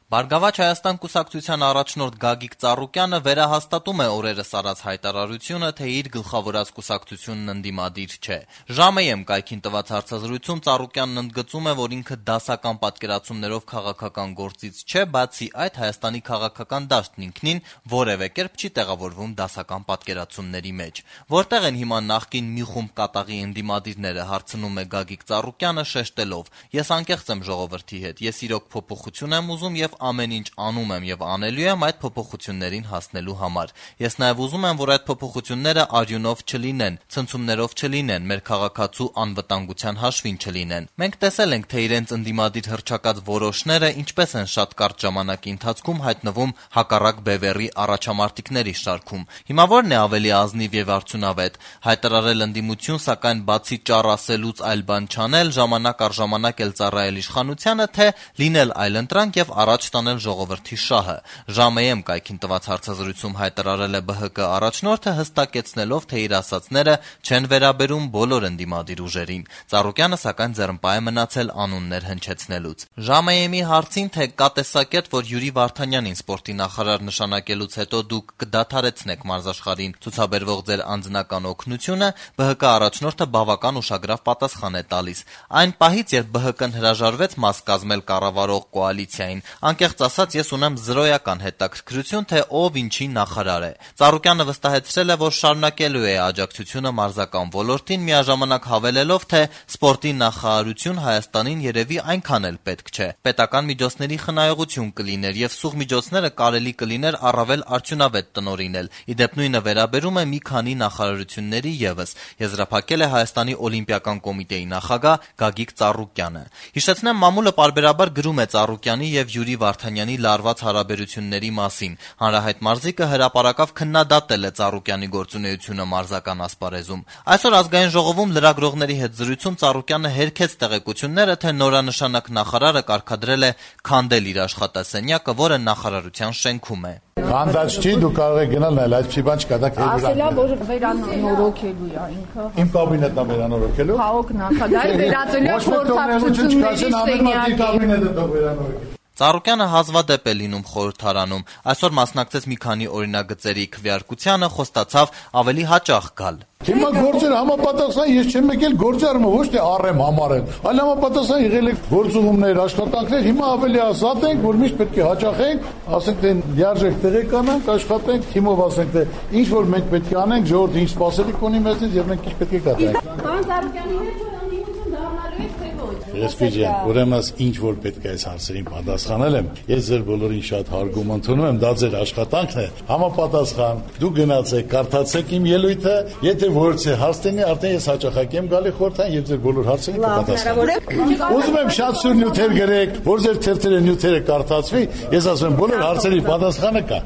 Բարգավաճ Հայաստան կուսակցության առաջնորդ Գագիկ Ծառուկյանը վերահաստատում է օրերս արած հայտարարությունը, թե իր գլխավորած կուսակցությունն ընդդիմադիր չէ։ «Ժամ.am» կայքին տված հարցազրույցում Ծառուկյանն ընդգծում է, որ ինքը դասական պատկերացումներով քաղաքական գործից չէ, բացի այդ Հայաստանի քաղաքական դաշտն ինքնին որևէ կերպ չի տեղավորվում դասական պատկերացումների մեջ։ Որտեղ են հիմա նախկին մի խումբ կատաղի ընդդիմադիրները, հարցնում է Գագիկ Ծառուկյանը շեշտելով. «Ես անկեղծ եմ ժողովրդի հետ, ես իրոք փոփոխություն եմ ուզում եւ ամեն ինչ անում եմ եւ անելու եմ այդ փոփոխություններին հասնելու համար։ Ես նաեւ ուզում եմ, որ այդ փոփոխությունները արյունով չլինեն, ցնցումներով չլինեն, մեր քաղաքացու անվտանգության հաշվին չլինեն։ Մենք տեսել ենք, թե իրենց ընդդիմադիր հռչակած որոշները ինչպես են շատ կարճ ժամանակի ընթացքում հայտնվում հակառակ բևեռի առաջամարտիկների շարքում։ Հիմա ո՞րն է ավելի ազնիվ եւ արդյունավետ՝ հայտարարել ընդդիմություն, սակայն բացի ճառ ասելուց այլ բան չանել, ժամանակ առ ժամանակ էլ ծառայել իշխանությանը, թե լինել այլընտրանք եւ առաջ տանել ժողովրդի շահը»։ «Ժամ.am» կայքին տված հարցազրույցում հայտարարել է ԲՀԿ առաջնորդը, հստակեցնելով, թե իր ասածները չեն վերաբերում բոլոր ընդդիմադիր ուժերին։ Ծառուկյանը, սակայն, ձեռնպահ է մնացել անուններ հնչեցնելուց։ «Ժամ.am»-ի հարցին, թե կա տեսակետ, որ Յուրի Վարդանյանին սպորտի նախարար նշանակելուց հետո դուք կդադարեցնեք մարզաշխարհին ցուցաբերվող ձեր անձնական օգնությունը, ԲՀԿ առաջնորդը բավական ուշագրավ պատասխան է տալիս. «Այն պահից, երբ ԲՀԿ-ն հրաժարվեց մաս կազմել կառավարող կոալիցիային, անկեղծ ասած, ես ունեմ զրոյական հետաքրքրություն, թե ով ինչի նախարար է»։ Ծառուկյանը վստահեցրել է, որ շարունակելու է աջակցությունը մարզական ոլորտին, միաժամանակ հավելելով, թե սպորտի նախարարություն Հայաստանին երևի այնքան էլ պետք չէ։ Պետական միջոցների խնայողություն կլիներ եւ սուղ միջոցները կարելի կլիներ առավել արդյունավետ տնօրինել։ Իդեպ նույնը վերաբերում է մի քանի նախարարությունների եւս, եզրափակել է Հայաստանի օլիմպիական կոմիտեի նախագահ Գագիկ Ծառուկյանը։ Հիշեցնեմ, մամուլը պարբերաբար գրում է Ծառուկյանի եւ Յուրի Վարդանյանի լարված հարաբերությունների մասին։ Հանրահայտ մարզիկը հրապարակավ քննադատել է Ծառուկյանի գործունեությունը մարզական ասպարեզում։ Այսօր Ազգային ժողովում լրագրողների հետ զրույցում Ծառուկյանը հերքեց տեղեկությունները, թե նորանշանակ նախարարը կարգադրել է քանդել իր աշխատասենյակը, որը նախարարության շենքում է։ Քանդած չի, դու կարող ես գնալ նայել, այդպիսի բան չկա, դա քեզ ասելա, որ վերանորոգելու է ինքը։ Իմ կաբինետն է վերանորոգելու։ Հա, օգնակալի վերածելու խորհրդակցությունների կաբինետը Ծառուկյանը հազվադեպ է լինում խորհրդարանում։ Այսօր մասնակցեց մի քանի օրինագծերի քվեարկությանը, խոստացավ ավելի հաճախ գալ։ Հիմա գործերը համապատասխան ես չեմ եկել գործարումը ոչ թե առեմ համարեմ, այլ համապատասխան եղել է գործողումներ, աշխատանքներ, հիմա ավելի ազատ ենք, որ միշտ պետք է հաճախենք, ասենք թե լիարժեք տեղեկանանք, աշխատենք, թիմով ասենք թե ինչ որ մենք պետք է անենք, ժողովուրդը ինչ սպասելիք ունի մեզնից եւ մենք ինչ պետք է կատարենք։ Պարոն Ծառուկյանի հետ ընդդիմություն դառնալու եք թե ոչ։ Ռեսպիջան, ուրեմն ինչ որ պետք է այս հարցերին պատասխանել եմ, ես ձեր բոլորին շատ հարգում ընդունում եմ, դա ձեր աշխատանքն է, համապատասխան, դու գնացեք, կարդացեք իմ ելույթը, եթե որից է հարց տենի, արդեն ես հաճախակ եմ գալի խորհրդային եւ ձեր բոլոր հարցերին կպատասխանեմ։ Ուզում եմ շատ սուր նյութեր գրեք, որ ձեր թերթերը նյութերը կարդացվի, ես ասում եմ բոլոր հարցերի պատասխանը կա։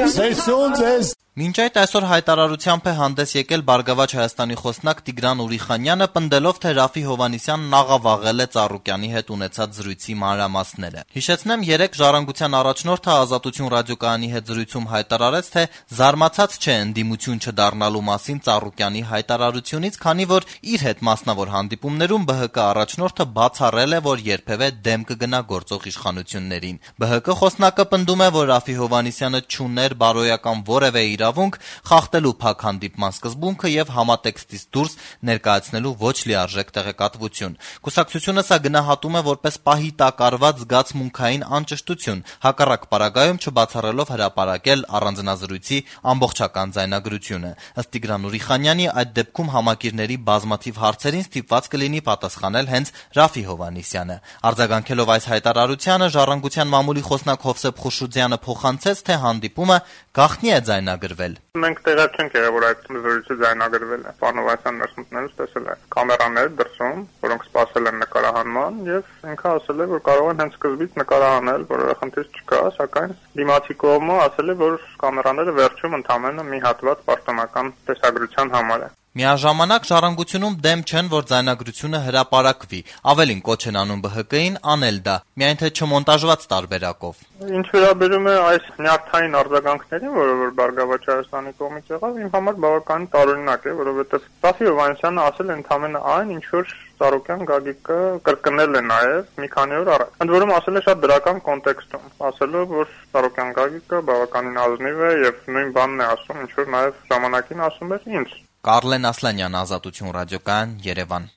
Ստեյցոնց Մինչ այդ այսօր հայտարարությամբ է հանդես եկել Բարգավաճ Հայաստանի խոսնակ Տիգրան Ուրիխանյանը, պնդելով, թե Ռաֆի Հովհաննիսյանն աղավաղել է Ծառուկյանի հետ ունեցած զրույցի մանրամասները։ Հիշեցնեմ, երեկ Ժառանգության առաջնորդը Ազատություն ռադիոկայանի հետ զրույցում հայտարարեց, թե զարմացած չէ ընդդիմություն չդառնալու մասին Ծառուկյանի հայտարարությունից, քանի որ իր հետ մասնավոր հանդիպումներում ԲՀԿ առաջնորդը բացառել է, որ երբևէ դեմ կգնա գործող իշխանություններին։ ԲՀԿ խոսնակը պնդում է, որ Ռաֆի Հովհաննիսյանը չուներ բարոյական որևէ իրավունք խախտելու փակ հանդիպման սկզբունքը եւ համատեքստից դուրս ներկայացնելու ոչ լիարժեք տեղեկատվություն։ Կուսակցությունը սա գնահատում է որպես պահի տակ արված զգացմունքային անճշտություն, հակառակ պարագայում չբացառելով հրապարակել առանձնազրույցի ամբողջական ձայնագրությունը։ Ըստ Տիգրան Ուրիխանյանի, այդ դեպքում համակիրների բազմաթիվ հարցերին ստիպված կլինի պատասխանել հենց Ռաֆի Հովհաննիսյանը։ Արձագանքելով այս հայտարարությանը, Ժառանգության մամուլի խոսնակ Հովսեփ Խուշուձյանը փոխանցեց, թե հանդիպումը գաղտնի է ձայնագրվել։ Մենք տեղյակ չենք եղել, որ այդ զրույցը ձայնագրվել է։ Պարոն Հովհաննիսյանն ներս մտնելուց տեսել է կամերաներ դրսում, որոնք սպասել են նկարահանման, եւ ինքը ասել է, որ կարող են հենց սկզբից նկարահանել, որովհետեւ խնդիր չկա, սակայն դիմացի կողմը ասել է, որ կամերաները վերջում ընդամենը մի հատված պաշտոնական տեսագրության համար է։ Միաժամանակ ժառանգությունում դեմ չեն, որ ձայնագրությունը հրապարակվի, ավելին կոչ են անում ԲՀԿ-ին անել դա, միայն թե չմոնտաժված տարբերակով։ Ինչ վերաբերում է այս նյարդային արձագանքներին, որը որ Բարգավաճ Հայաստանի կողմից եղավ, իմ համար բավականին տարօրինակ է, որովհետև Սաֆի Հովհաննիսյանը ասել է ընդամենը այն, ինչ որ Ծառուկյան Գագիկը կրկնել է նաև մի քանի օր առաջ։ Ընդ որում ասել է շատ դրական կոնտեքստում, ասելով, որ Ծառուկյան Գագիկը բավականին ազնիվ է եւ նույն բանն է ասում, ինչ որ նաև ժամանակին ասում էր ինձ։ Կարլեն Ասլանյան, Ազատություն ռադիոկայան, Երևան։